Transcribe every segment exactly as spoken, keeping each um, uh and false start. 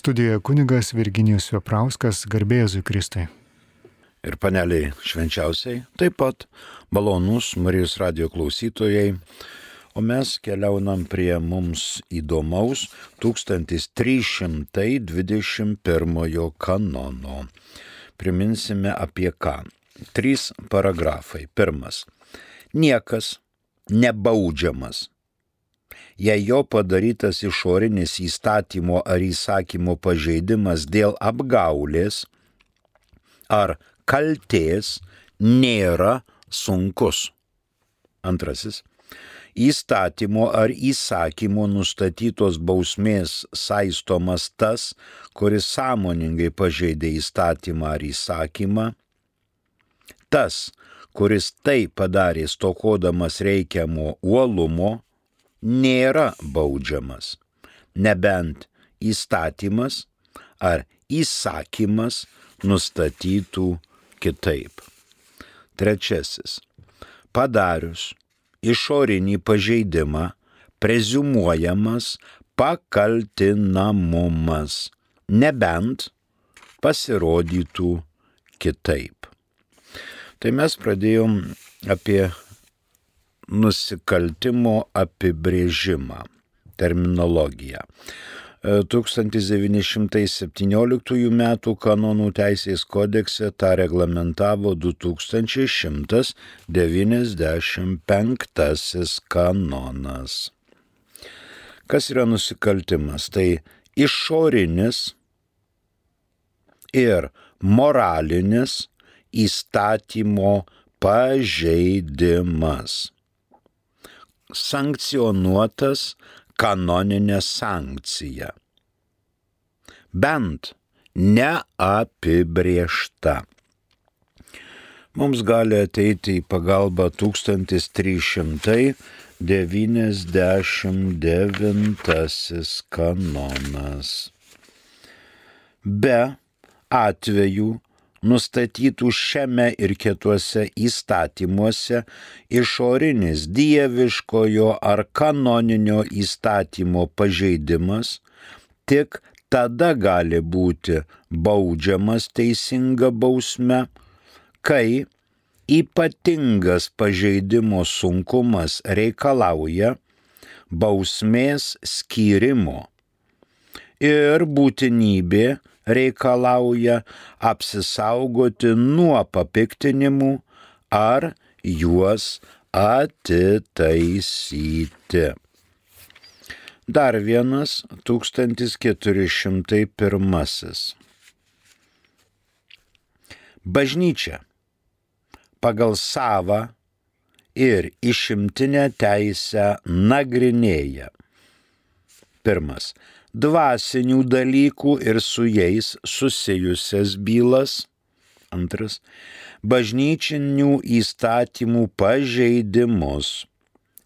Studijoje kunigas Virginijus Veprauskas, garbė Jėzui Kristui. Ir paneliai švenčiausiai, taip pat malonūs Marijos radijo klausytojai, o mes keliaunam prie mums įdomaus tūkstantis trys šimtai dvidešimt pirmojo kanono. Priminsime apie ką. Trys paragrafai. Pirmas. Niekas nebaudžiamas, jei jo padarytas išorinis įstatymo ar įsakymo pažeidimas dėl apgaulės ar kaltės nėra sunkus. Antrasis. Įstatymo ar įsakymo nustatytos bausmės saistomas tas, kuris sąmoningai pažeidė įstatymą ar įsakymą. Tas, kuris tai padarė stokodamas reikiamo uolumo, nėra baudžiamas, nebent įstatymas ar įsakymas nustatytų kitaip. Trečiasis. Padarius išorinį pažeidimą preziumuojamas pakaltinamumas, nebent pasirodytų kitaip. Tai mes pradėjom apie nusikaltimo apibrėžimą, terminologiją. tūkstantis devyni šimtai septynioliktųjų metų kanonų teisės kodekse tą reglamentavo du tūkstančiai šimtas devyniasdešimt penktasis kanonas. Kas yra nusikaltimas? Tai išorinis ir moralinis įstatymo pažeidimas, sankcionuotas kanoninė sankcija, bent neapibrėžta. Mums gali ateiti į pagalbą tūkstantis trys šimtai devyniasdešimt devintasis kanonas. Be atvejų nustatytų šiame ir kituose įstatymuose išorinis dieviškojo ar kanoninio įstatymo pažeidimas tik tada gali būti baudžiamas teisinga bausme, kai ypatingas pažeidimo sunkumas reikalauja bausmės skyrimo ir būtinybė reikalauja apsisaugoti nuo papiktinimų ar juos atitaisyti. Dar vienas tūkstantis keturi šimtai pirmasis. Bažnyčia pagal savą ir išimtinę teisę nagrinėja. Pirmas. Dvasinių dalykų ir su jais susijusias bylas. Antras. Bažnyčinių įstatymų pažeidimus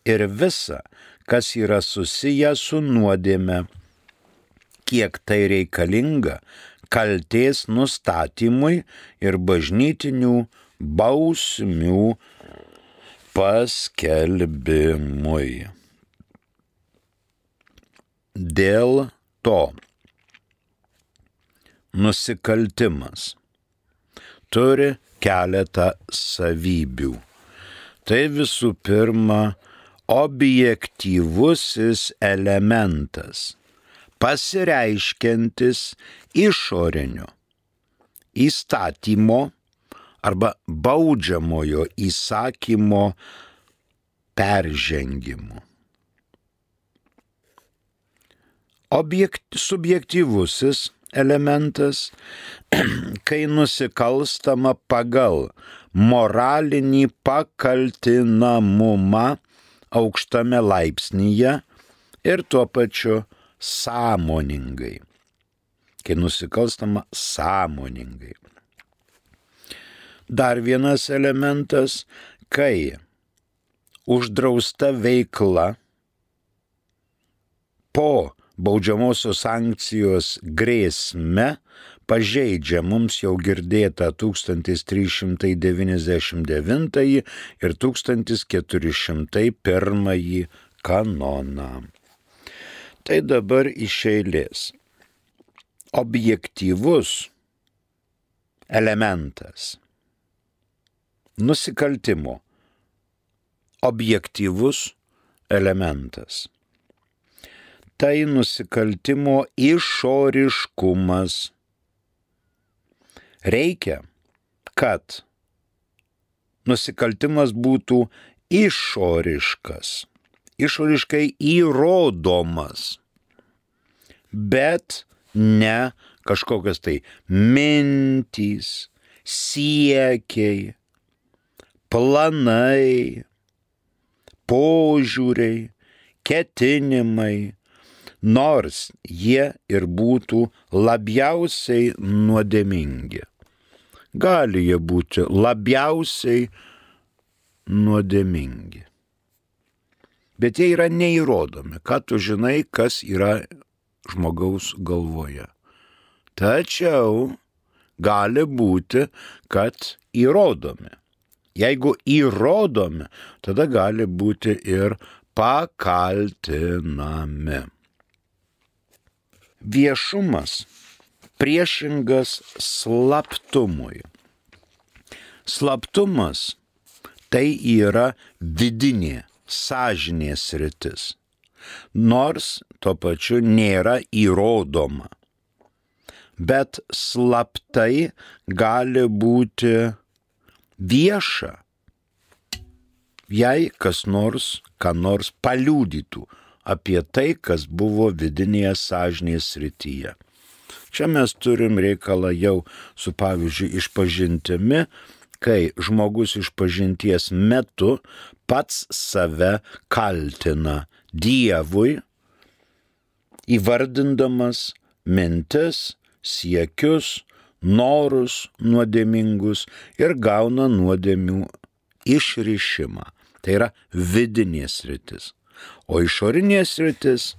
ir visa, kas yra susiję su nuodėme, kiek tai reikalinga kaltės nustatymui ir bažnytinių bausmių paskelbimui. Dėl to nusikaltimas turi keletą savybių. Tai visų pirma objektyvusis elementas, pasireiškiantis išorinio įstatymo arba baudžiamojo įsakymo peržengimu. Objekt, subjektyvusis elementas, kai nusikalstama pagal moralinį pakaltinamumą aukštame laipsnyje ir tuo pačiu sąmoningai. Kai nusikalstama sąmoningai. Dar vienas elementas, kai uždrausta veikla po baudžiamosios sankcijos grėsme pažeidžia mums jau girdėtą tūkstantis trys šimtai devyniasdešimt devintąjį ir tūkstantis keturi šimtai pirmąjį kanoną. Tai dabar iš eilės. objektyvus elementas. Nusikaltimo objektyvus elementas. Tai nusikaltimo išoriškumas. Reikia, kad nusikaltimas būtų išoriškas, išoriškai įrodomas, bet ne kažkokios tai mintys, siekiai, planai, požiūriai, ketinimai, nors jie ir būtų labiausiai nuodėmingi. Gali jie būti labiausiai nuodėmingi. Bet jie yra neįrodomi. Ką tu žinai, kas yra žmogaus galvoje. Tačiau gali būti, kad įrodomi. Jeigu įrodomi, tada gali būti ir pakaltinami. Viešumas priešingas slaptumui. Slaptumas tai yra vidinė sąžinės sritis, nors tuo pačiu nėra įrodoma. Bet slaptai gali būti vieša, jei kas nors, ką nors paliudytų apie tai, kas buvo vidinėje sąžinės srityje. Čia mes turim reikalą jau su, pavyzdžiui, išpažintimi, kai žmogus išpažinties metu pats save kaltina Dievui, įvardindamas mintis, siekius, norus nuodėmingus ir gauna nuodėmių išrišimą. Tai yra vidinė sritis. O išorinė sritis –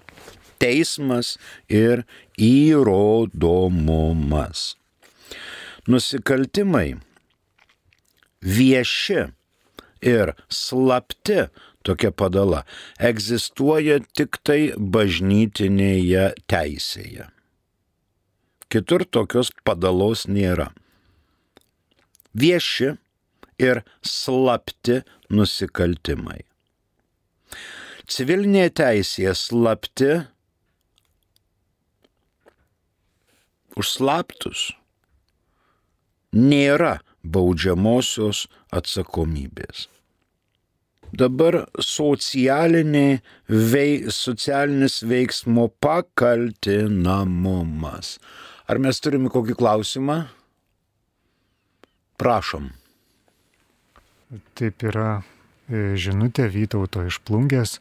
teismas ir įrodomumas. Nusikaltimai vieši ir slapti, tokia padala, egzistuoja tik tai bažnytinėje teisėje. Kitur tokios padalos nėra. Vieši ir slapti nusikaltimai. Civilinėje teisėje slapti už slaptus nėra baudžiamosios atsakomybės. Dabar socialinė vei, socialinis veiksmo pakaltinamumas. Ar mes turime kokį klausimą? Prašom. Taip yra žinutė Vytauto iš Plungės.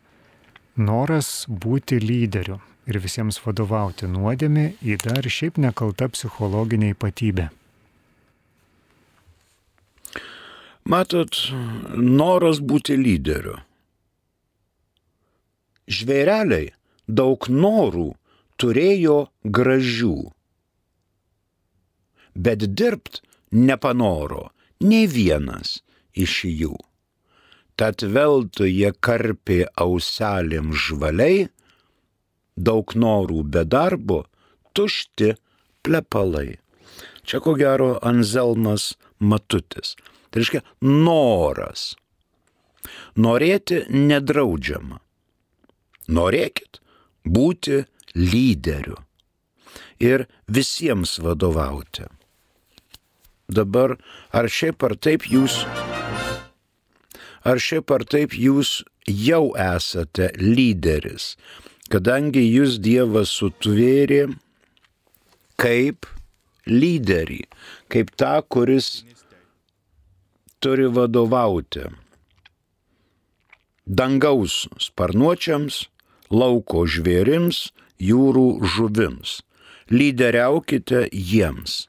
Noras būti lyderiu ir visiems vadovauti nuodėmė yra ir šiaip nekalta psichologinė ypatybė. Matot, noras būti lyderiu. Žvėreliai daug norų turėjo gražių, bet dirbt nepanoro nei vienas iš jų. Tad veltui jie karpė auselėm žvaliai, daug norų be darbo, tušti plepalai. Čia ko gero Anzelmas Matutis. Tai reiškia noras. Norėti nedraudžiama. Norėkit būti lyderiu ir visiems vadovauti. Dabar ar šiaip ar taip jūs, ar šiaip ar taip jūs jau esate lyderis, kadangi jūs Dievas sutvėrė kaip lyderį, kaip tą, kuris turi vadovauti dangaus sparnuočiams, lauko žvėrims, jūrų žuvims. Lyderiaukite jiems.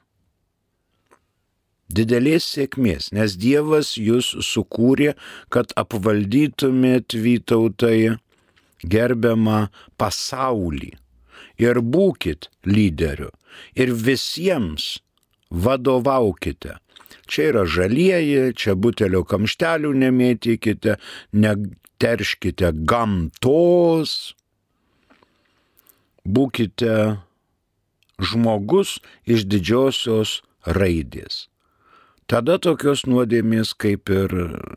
Didelės sėkmės, nes Dievas jūs sukūrė, kad apvaldytumėt, Vytautai, gerbiamą pasaulį. Ir būkit lyderiu. Ir visiems vadovaukite. Čia yra žalieji, čia butelio kamštelių nemėtykite, neterškite gamtos, būkite žmogus iš didžiosios raidės. Tada tokios nuodėmės kaip ir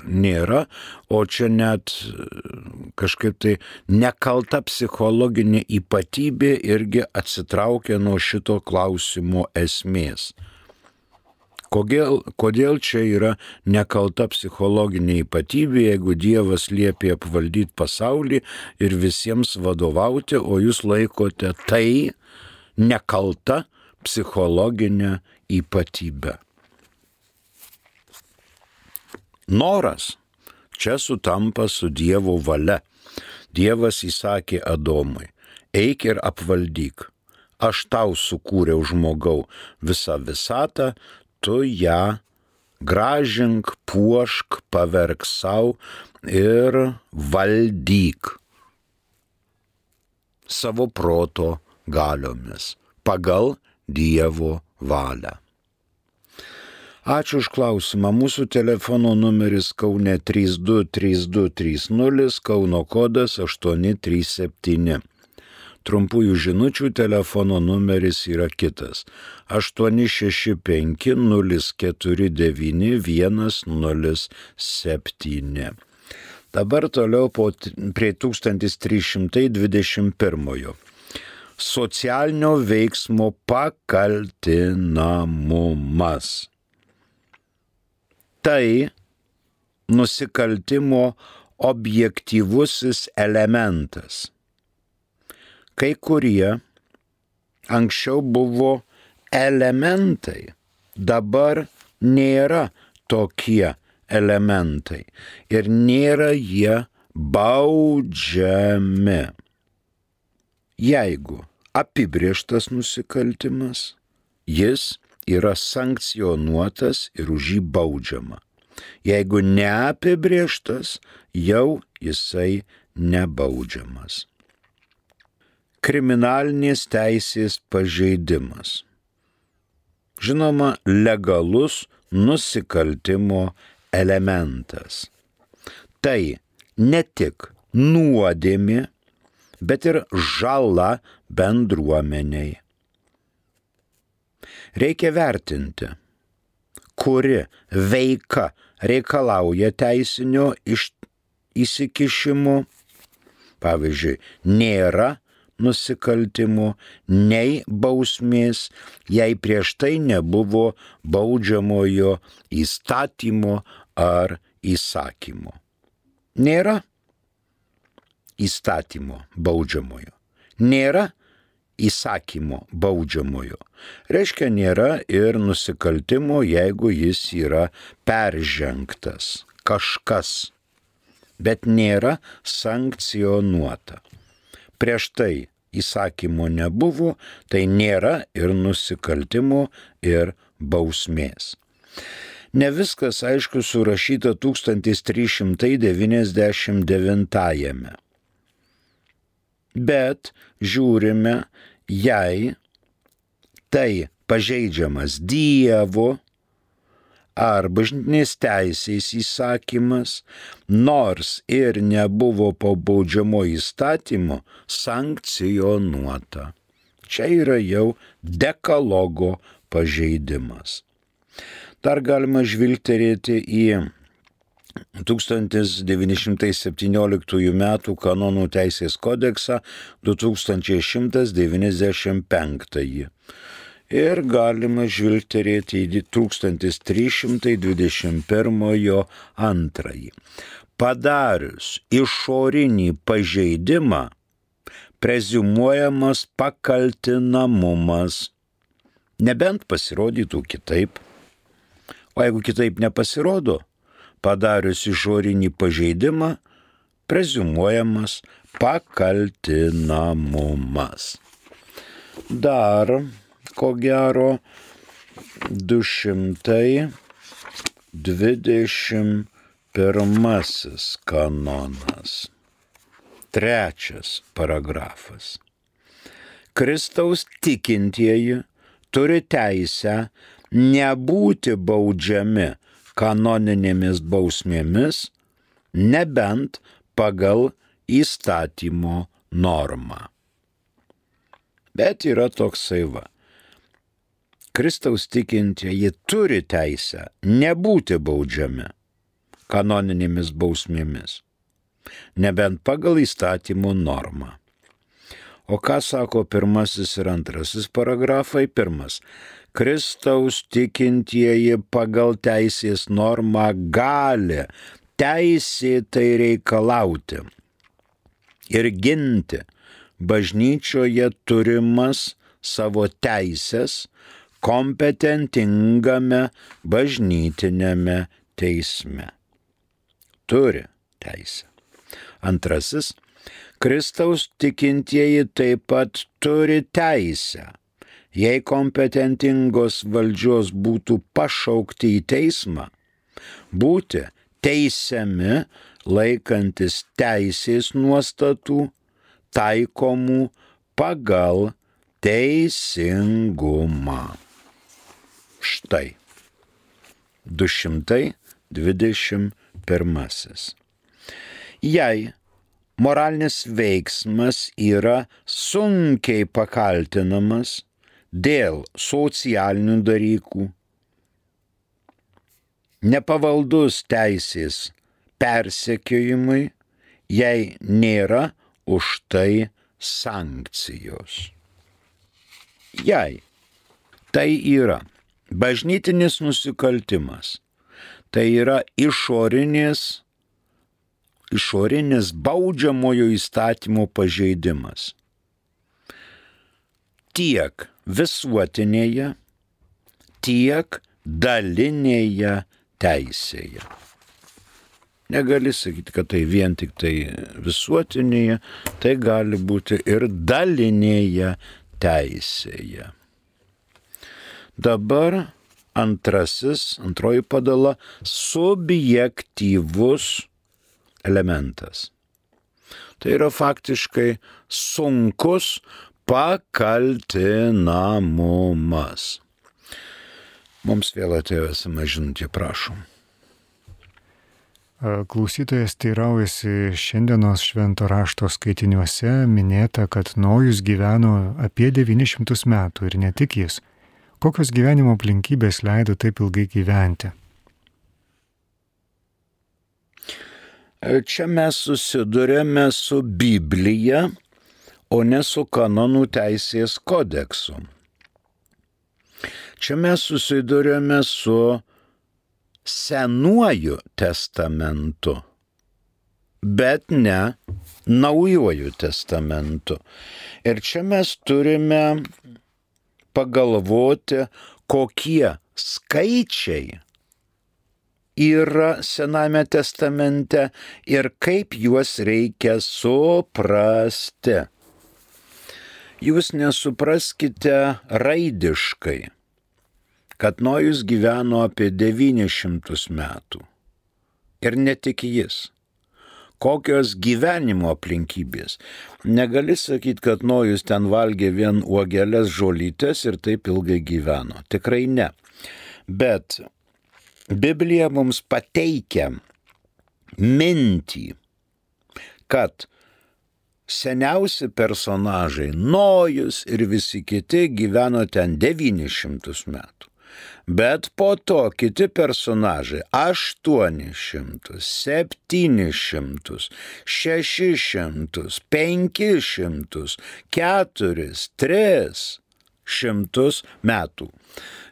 nėra, o čia net kažkaip tai nekalta psichologinė ypatybė irgi atsitraukia nuo šito klausimo esmės. Kodėl, kodėl čia yra nekalta psichologinė ypatybė, jeigu Dievas liepė apvaldyti pasaulį ir visiems vadovauti, o jūs laikote tai nekalta psichologinė ypatybė? Noras čia sutampa su Dievo valia. Dievas įsakė Adomui, eik ir apvaldyk. Aš tau sukūriau žmogau visą visatą, tu ją gražink, puošk, paverk savo ir valdyk savo proto galiomis pagal Dievo valią. Ačiū už klausimą. Mūsų telefono numeris Kaune trys du trys du trys nulis, Kauno kodas aštuoni trys septyni. Trumpųjų žinučių telefono numeris yra kitas - aštuoni šeši penki nulis keturi devyni vienas nulis septyni. Dabar toliau po, prie tūkstantis trys šimtai dvidešimt pirmojo. Socialinio veiksmo pakaltinamumas. Tai nusikaltimo objektyvusis elementas. Kai kurie anksčiau buvo elementai, dabar nėra tokie elementai ir nėra jie baudžiami. Jeigu apibrėžtas nusikaltimas, jis yra sankcionuotas ir už jį baudžiama. Jeigu neapibrėžtas, jau jisai nebaudžiamas. Kriminalinės teisės pažeidimas. Žinoma, legalus nusikaltimo elementas. Tai ne tik nuodėmė, bet ir žala bendruomeniai. Reikia vertinti, kuri veika reikalauja teisinio iš, įsikišimo. Pavyzdžiui, nėra nusikaltimų, nei bausmės, jei prieš tai nebuvo baudžiamojo įstatymo ar įsakymo. Nėra įstatymo baudžiamojo. Nėra įsakymo baudžiamojo. Reiškia, nėra ir nusikaltimo, jeigu jis yra peržengtas kažkas, bet nėra sankcionuota. Prieš tai įsakymo nebuvo, tai nėra ir nusikaltimo ir bausmės. Ne viskas, aišku, surašyta tūkstantis trys šimtai devyniasdešimt devintajame. Bet žiūrime, jei tai pažeidžiamas Dievo ar bažnytinės teisės įsakymas, nors ir nebuvo po baudžiamo įstatymo sankcionuota. Čia yra jau dekalogo pažeidimas. Dar galima žvilgterėti į tūkstantis devyni šimtai septynioliktųjų metų kanonų teisės kodeksą du tūkstančiai šimtas devyniasdešimt penktąjį. Ir galima žvilgterėti į tūkstantis trys šimtai dvidešimt pirmojo antrąjį. Padarius išorinį pažeidimą, preziumuojamas pakaltinamumas, nebent pasirodytų kitaip. O jeigu kitaip nepasirodo, padarius išorinį pažeidimą, preziumuojamas pakaltinamumas. Dar, ko gero, du šimtai dvidešimt pirmasis kanonas. Trečias paragrafas. Kristaus tikintieji turi teisę nebūti baudžiami kanoninėmis bausmėmis, nebent pagal įstatymo normą. Bet yra toksai va, Kristaus tikintieji turi teisę nebūti baudžiami kanoninėmis bausmėmis, nebent pagal įstatymų normą. O ką sako pirmasis ir antrasis paragrafai? Pirmas. Kristaus tikintieji pagal teisės normą gali teisėtai reikalauti ir ginti bažnyčioje turimas savo teisės kompetentingame bažnytinėme teisme. Turi teisę. Antrasis. Kristaus tikintieji taip pat turi teisę, jei kompetentingos valdžios būtų pašaukti į teismą, būti teisiami laikantis teisės nuostatų taikomų pagal teisingumą. Štai du šimtai dvidešimt pirmasis. Jei moralinis veiksmas yra sunkiai pakaltinamas dėl socialinių dalykų, nepavaldus teisės persekiojimui, jei nėra už tai sankcijos. Jei tai yra bažnytinis nusikaltimas, tai yra išorinės išorinis baudžiamojo įstatymo pažeidimas. Tiek visuotinėje, tiek dalinėje teisėje. Negali sakyti, kad tai vien tik tai visuotinėje, tai gali būti ir dalinėje teisėje. Dabar antrasis, antroji padala – subjektyvus elementas. Tai yra faktiškai sunkus pakaltinamumas. Mums vėl atėjo esama žinutė, prašom. Klausytojas teiraujasi, šiandienos švento rašto skaitiniuose minėta, kad Nojus gyveno apie devynis šimtus metų ir ne tik jis. Kokios gyvenimo aplinkybės leido taip ilgai gyventi? Čia mes susidurėme su Biblija, o ne su kanonų teisės kodeksu. Čia mes susidurėme su Senuoju testamentu, bet ne Naujuoju testamentu. Ir čia mes turime pagalvoti, kokie skaičiai yra Sename testamente ir kaip juos reikia suprasti. Jūs nesupraskite raidiškai, kad Nojus gyveno apie devynis šimtus metų. Ir ne tik jis. Kokios gyvenimo aplinkybės. Negali sakyti, kad Nojus ten valgė vien uogeles, žolytes ir taip ilgai gyveno. Tikrai ne. Bet Biblija mums pateikia mintį, kad seniausi personažai Nojus ir visi kiti gyveno ten devynis šimtus metų. Bet po to kiti personažai aštuonis šimtus, septynis šimtus, šešis šimtus, penkis šimtus, keturis, tris šimtus metų.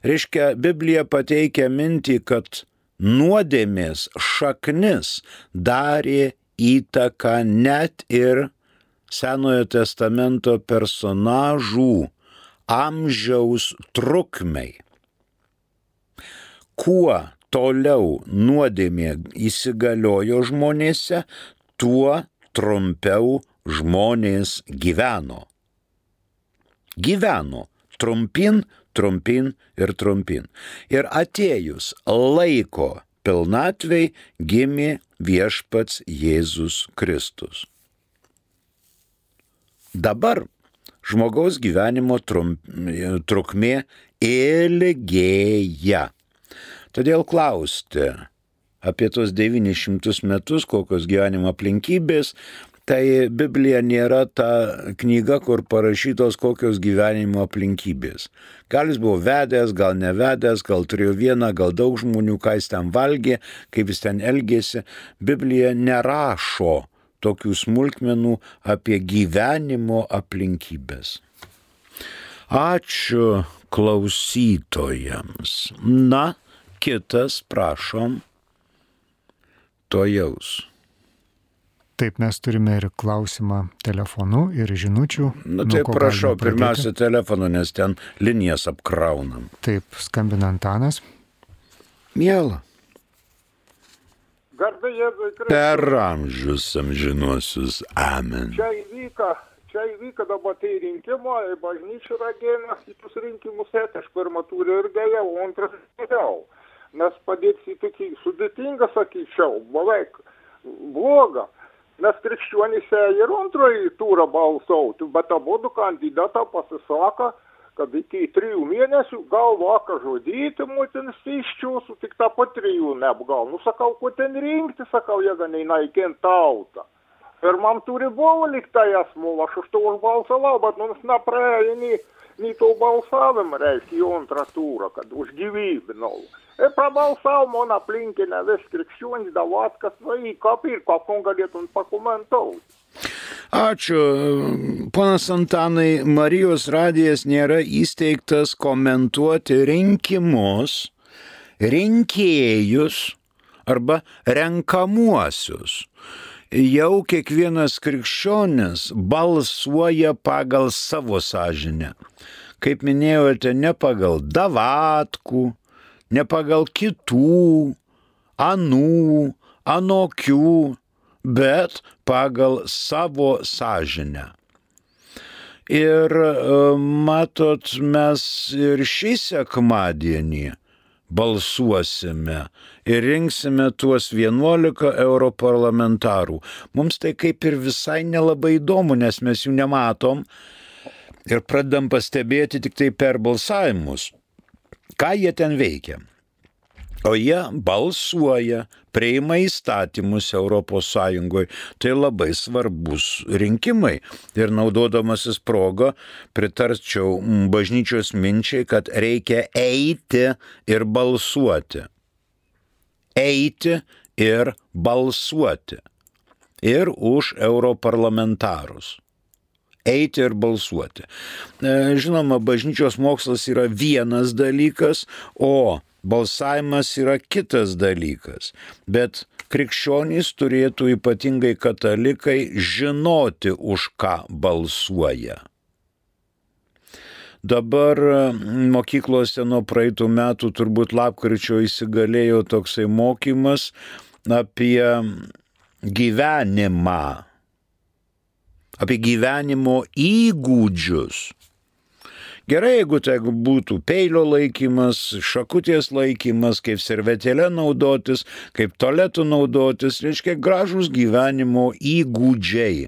Reiškia, Biblija pateikia mintį, kad nuodėmės šaknis darė įtaką net ir Senojo testamento personažų amžiaus trukmei. Kuo toliau nuodėmė įsigaliojo žmonėse, tuo trumpiau žmonės gyveno. Gyveno trumpin, trumpin ir trumpin. Ir atėjus laiko pilnatvei gimė viešpats Jėzus Kristus. Dabar žmogaus gyvenimo trump, trukmė ilgėja. Todėl klausti apie tos devynis šimtus metus, kokios gyvenimo aplinkybės, Tai Biblija nėra ta knyga, kur parašytos kokios gyvenimo aplinkybės. Gal jis buvo vedęs, gal nevedęs, gal turėjo vieną, gal daug žmonių, ką jis ten valgė, kaip jis ten elgėsi. Biblija nerašo tokių smulkmenų apie gyvenimo aplinkybės. Ačiū klausytojams. Na, kitas, prašom, tojaus. Taip, mes turime ir klausimą telefonu, ir žinučių. Na tai prašau, pirmiausia telefonu, nes ten linijas apkraunam. Taip, skambina Antanas. Miela. Garbė Jėzui Kristui. Per amžius amžinuosius. Amen. Čia įvyka, čia įvyka dabar tai rinkimo, bažnyčių ragėmės į tus rinkimus, aš pirmą turiu ir dėjau, o antras dėjau. Nes padėti tokį sudėtingą, sakyčiau, beveik blogą. Nes krikščionys ir antrąjį turą balsauti, bet abudu kandidatą pasisako, kad iki trijų mėnesių gal vakar žudyti mutins iščiūsų, tik tą po trijų neapgal. Nu, sakau, ko ten rinkti, sakau, jėga neįnaikint tautą. Pirmam turi buvo liktai asmuo, aš už to užbalsavau, bet mums nepraėjo nei, nei to balsavimą, reiškia, į antrą turą, kad už gyvybę nau. Ir prabalsavo man aplinkinę vis krikščionys Davatkas, nu į kapį ir kapon galėtum pakomentauti. Ačiū. Ponas Antanai, Marijos radijas nėra įsteigtas komentuoti rinkimus, rinkėjus arba renkamuosius. Jau kiekvienas krikščionis balsuoja pagal savo sąžinę. Kaip minėjote, ne pagal Davatkų, ne pagal kitų, anų, anokių, bet pagal savo sąžinę. Ir matot, mes ir šį sekmadienį balsuosime ir rinksime tuos vienuolika europarlamentarų. Mums tai kaip ir visai nelabai įdomu, nes mes jų nematom ir pradedam pastebėti tik tai per balsavimus. Ką jie ten veikia? O jie balsuoja, priima įstatymus Europos Sąjungoje. Tai labai svarbus rinkimai. Ir naudodamasis progą pritarčiau bažnyčios minčiai, kad reikia eiti ir balsuoti. Eiti ir balsuoti. Ir už europarlamentarus. Eiti ir balsuoti. Žinoma, bažnyčios mokslas yra vienas dalykas, o balsavimas yra kitas dalykas. Bet krikščionys turėtų, ypatingai katalikai, žinoti, už ką balsuoja. Dabar mokyklose nuo praeitų metų turbūt lapkričio įsigalėjo toksai mokymas apie gyvenimą. Apie gyvenimo įgūdžius. Gerai, jeigu tai būtų peilio laikymas, šakutės laikymas, kaip servetėlė naudotis, kaip tualetų naudotis, reiškia gražus gyvenimo įgūdžiai.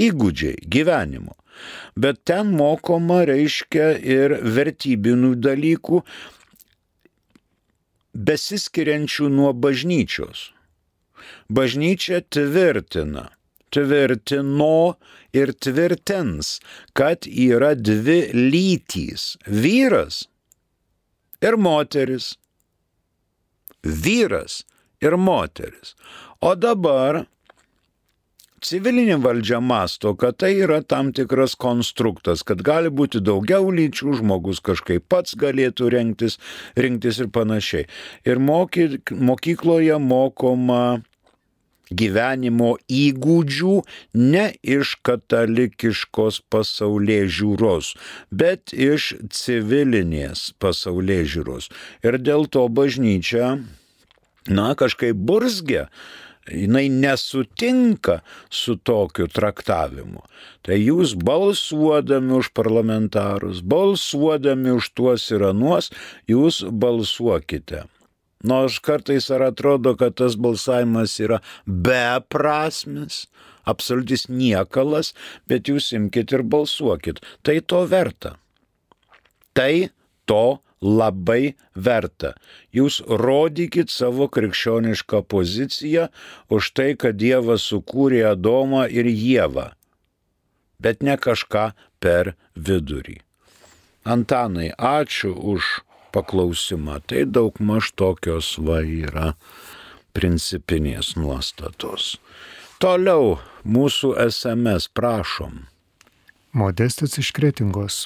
Įgūdžiai gyvenimo. Bet ten mokoma, reiškia, ir vertybinių dalykų, besiskiriančių nuo bažnyčios. Bažnyčia tvirtina. tvirtino ir tvirtins, kad yra dvi lytys – vyras ir moteris. Vyras ir moteris. O dabar civilinė valdžia masto, kad tai yra tam tikras konstruktas, kad gali būti daugiau lyčių, žmogus kažkaip pats galėtų rinktis, rinktis ir panašiai. Ir moky, mokykloje mokoma gyvenimo įgūdžių ne iš katalikiškos pasaulėžiūros, bet iš civilinės pasaulėžiūros. Ir dėl to bažnyčia, na, kažkaip burzgia, jinai nesutinka su tokiu traktavimu. Tai jūs balsuodami už parlamentarus, balsuodami už tuos ir anuos, jūs balsuokite. Nors kartais ar atrodo, kad tas balsavimas yra beprasmis, absoliutis niekalas, bet jūs imkite ir balsuokit. Tai to verta. Tai to labai verta. Jūs rodykit savo krikščionišką poziciją už tai, kad Dievas sukūrė Adomą ir Ievą, bet ne kažką per vidurį. Antanai, ačiū už paklausimą. Tai daugmaž tokios va yra principinės nuostatos. Toliau mūsų es em es, prašom. Modestas iš Kretingos.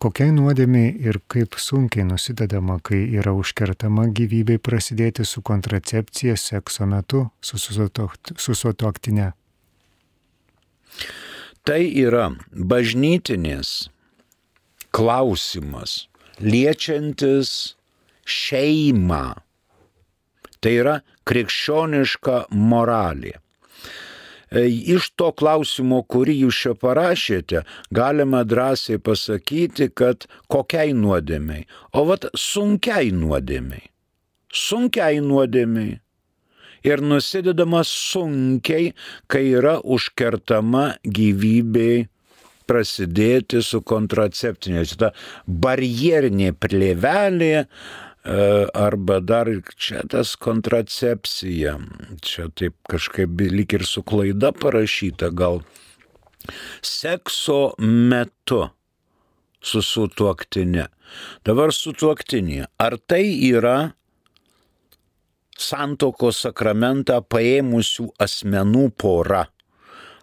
Kokiai nuodėmiai ir kaip sunkiai nusidedama, kai yra užkertama gyvybei prasidėti su kontracepcija sekso metu su sutuoktine? Tai yra bažnytinės klausimas, liečiantis šeimą. Tai yra krikščioniška moralė. Iš to klausimo, kurį jūs čia parašėte, galima drąsiai pasakyti, kad kokiai nuodėmiai, o vat sunkiai nuodėmiai. Sunkiai nuodėmiai. Ir nusidedama sunkiai, kai yra užkertama gyvybei prasidėti su kontraceptinė. Ta barjerinė plėvelė arba dar čia tas kontracepcija. Čia taip kažkaip lyg ir su klaida parašyta, gal sekso metu su sutuoktine. Dabar sutuoktinė. Ar tai yra santuokos sakramentą paėmusių asmenų pora?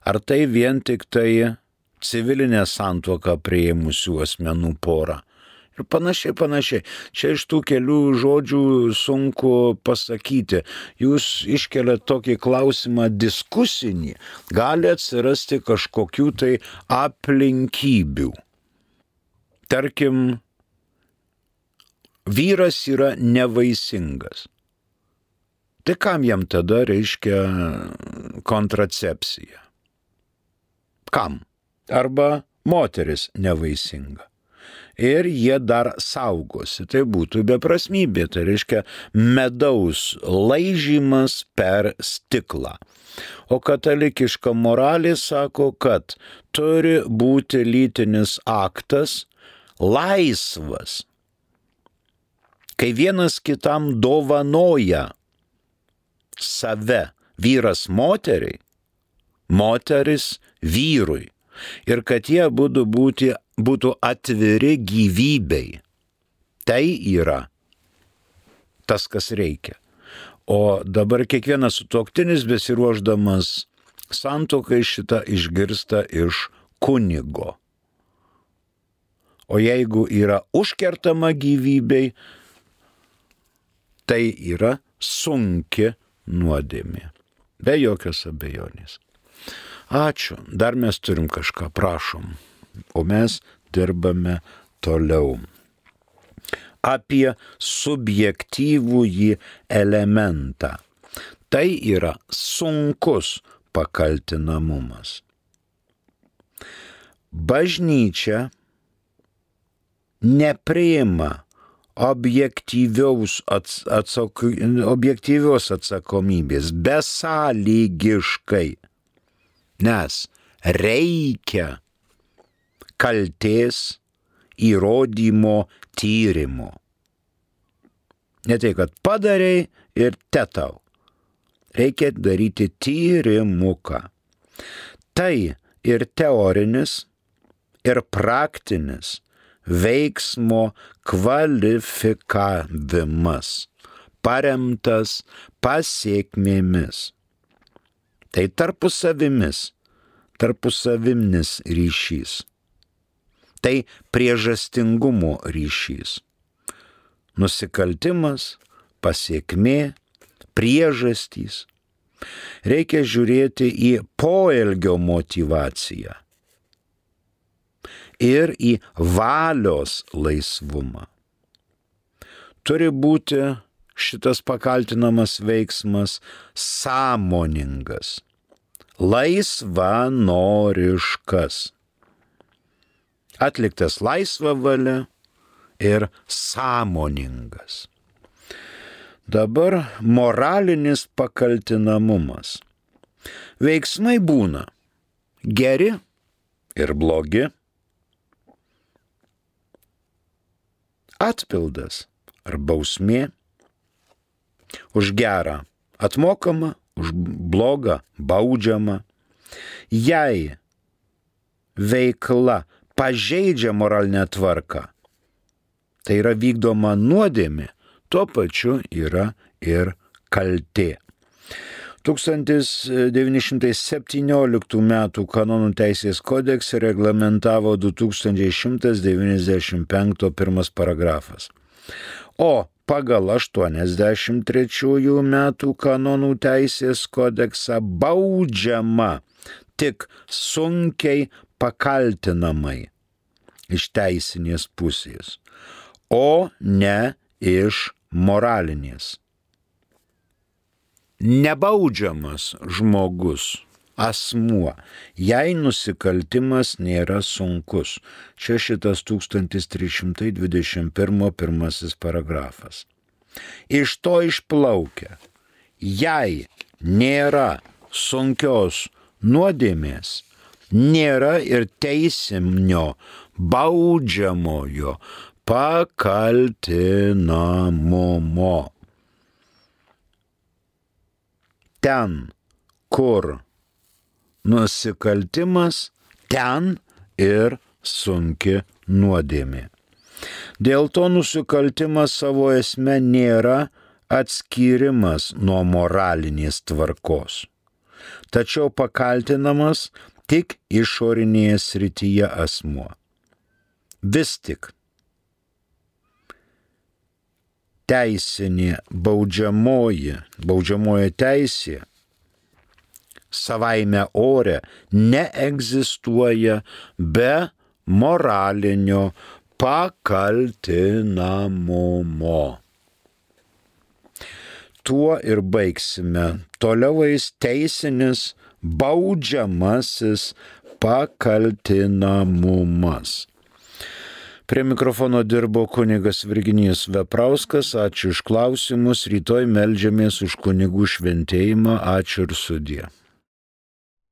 Ar tai vien tik tai civilinę santuoką priėmusių asmenų pora? Ir panašiai, panašiai. Čia iš tų kelių žodžių sunku pasakyti. Jūs iškeliat tokį klausimą diskusinį, gali atsirasti kažkokių tai aplinkybių. Tarkim, vyras yra nevaisingas. Tai kam jam tada reiškia kontracepcija? Kam? Arba moteris nevaisinga. Ir jie dar saugosi. Tai būtų beprasmybė, tai reiškia medaus laižymas per stiklą. O katalikiška moralė sako, kad turi būti lytinis aktas laisvas. Kai vienas kitam dovanoja save, vyras moteriai, moteris vyrui. Ir kad jie būtų, būti, būtų atviri gyvybei. Tai yra tas, kas reikia. O dabar kiekvienas sutuoktinis besiruošdamas santuokai šitą išgirsta iš kunigo. O jeigu yra užkertama gyvybei, tai yra sunki nuodėmė. Be jokios abejonės. Ačiū. Dar mes turim kažką, prašom. O mes dirbame toliau. Apie subjektyvųjį elementą. Tai yra sunkus pakaltinamumas. Bažnyčia nepriima objektyvios, atsako, objektyvios atsakomybės besąlygiškai. Nes reikia kaltės įrodymo tyrimo. Ne tai, kad padarei ir tetau. Reikia daryti tyrimuką. Tai ir teorinis, ir praktinis veiksmo kvalifikavimas, paremtas pasiekmėmis. Tai tarpusavimis, tarpusavimnis ryšys. Tai priežastingumo ryšys. Nusikaltimas, pasiekmė, priežastys. Reikia žiūrėti į poelgio motyvaciją ir į valios laisvumą. Turi būti šitas pakaltinamas veiksmas sąmoningas, laisvanoriškas, atliktas laisva valia ir sąmoningas. Dabar moralinis pakaltinamumas. Veiksmai būna geri ir blogi, Atpildas ar bausmė. Už gerą atmokama, už blogą baudžiama. Jei veikla pažeidžia moralinę tvarką, tai yra vykdoma nuodėmė, tuo pačiu yra ir kaltė. tūkstantis devyni šimtai septynioliktų metų kanonų teisės kodekse reglamentavo du tūkstančiai šimtas devyniasdešimt penktas pirmas paragrafas. O pagal aštuoniasdešimt trečiųjų metų kanonų teisės kodeksą baudžiama tik sunkiai pakaltinamai iš teisinės pusės, o ne iš moralinės. Nebaudžiamas žmogus, asmuo, jei nusikaltimas nėra sunkus. Čia šitas tūkstantis trys šimtai dvidešimt pirmas pirmasis paragrafas. Iš to išplaukia, jei nėra sunkios nuodėmės, nėra ir teisinio baudžiamojo pakaltinamumo. Ten, kur nusikaltimas, ten ir sunki nuodėmė. Dėl to nusikaltimas savo esme nėra atskyrimas nuo moralinės tvarkos, tačiau pakaltinamas tik išorinėje srityje asmuo. Vis tik teisinė baudžiamoji, baudžiamoji teisė savaime ore neegzistuoja be moralinio pakaltinamumo. Tuo ir baigsime. Toliau eis teisinis baudžiamasis pakaltinamumas. Prie mikrofono dirbo kunigas Virginijus Veprauskas. Ačiū už klausimus. Rytoj meldžiamės už kunigų šventėjimą. Ačiū ir sudie.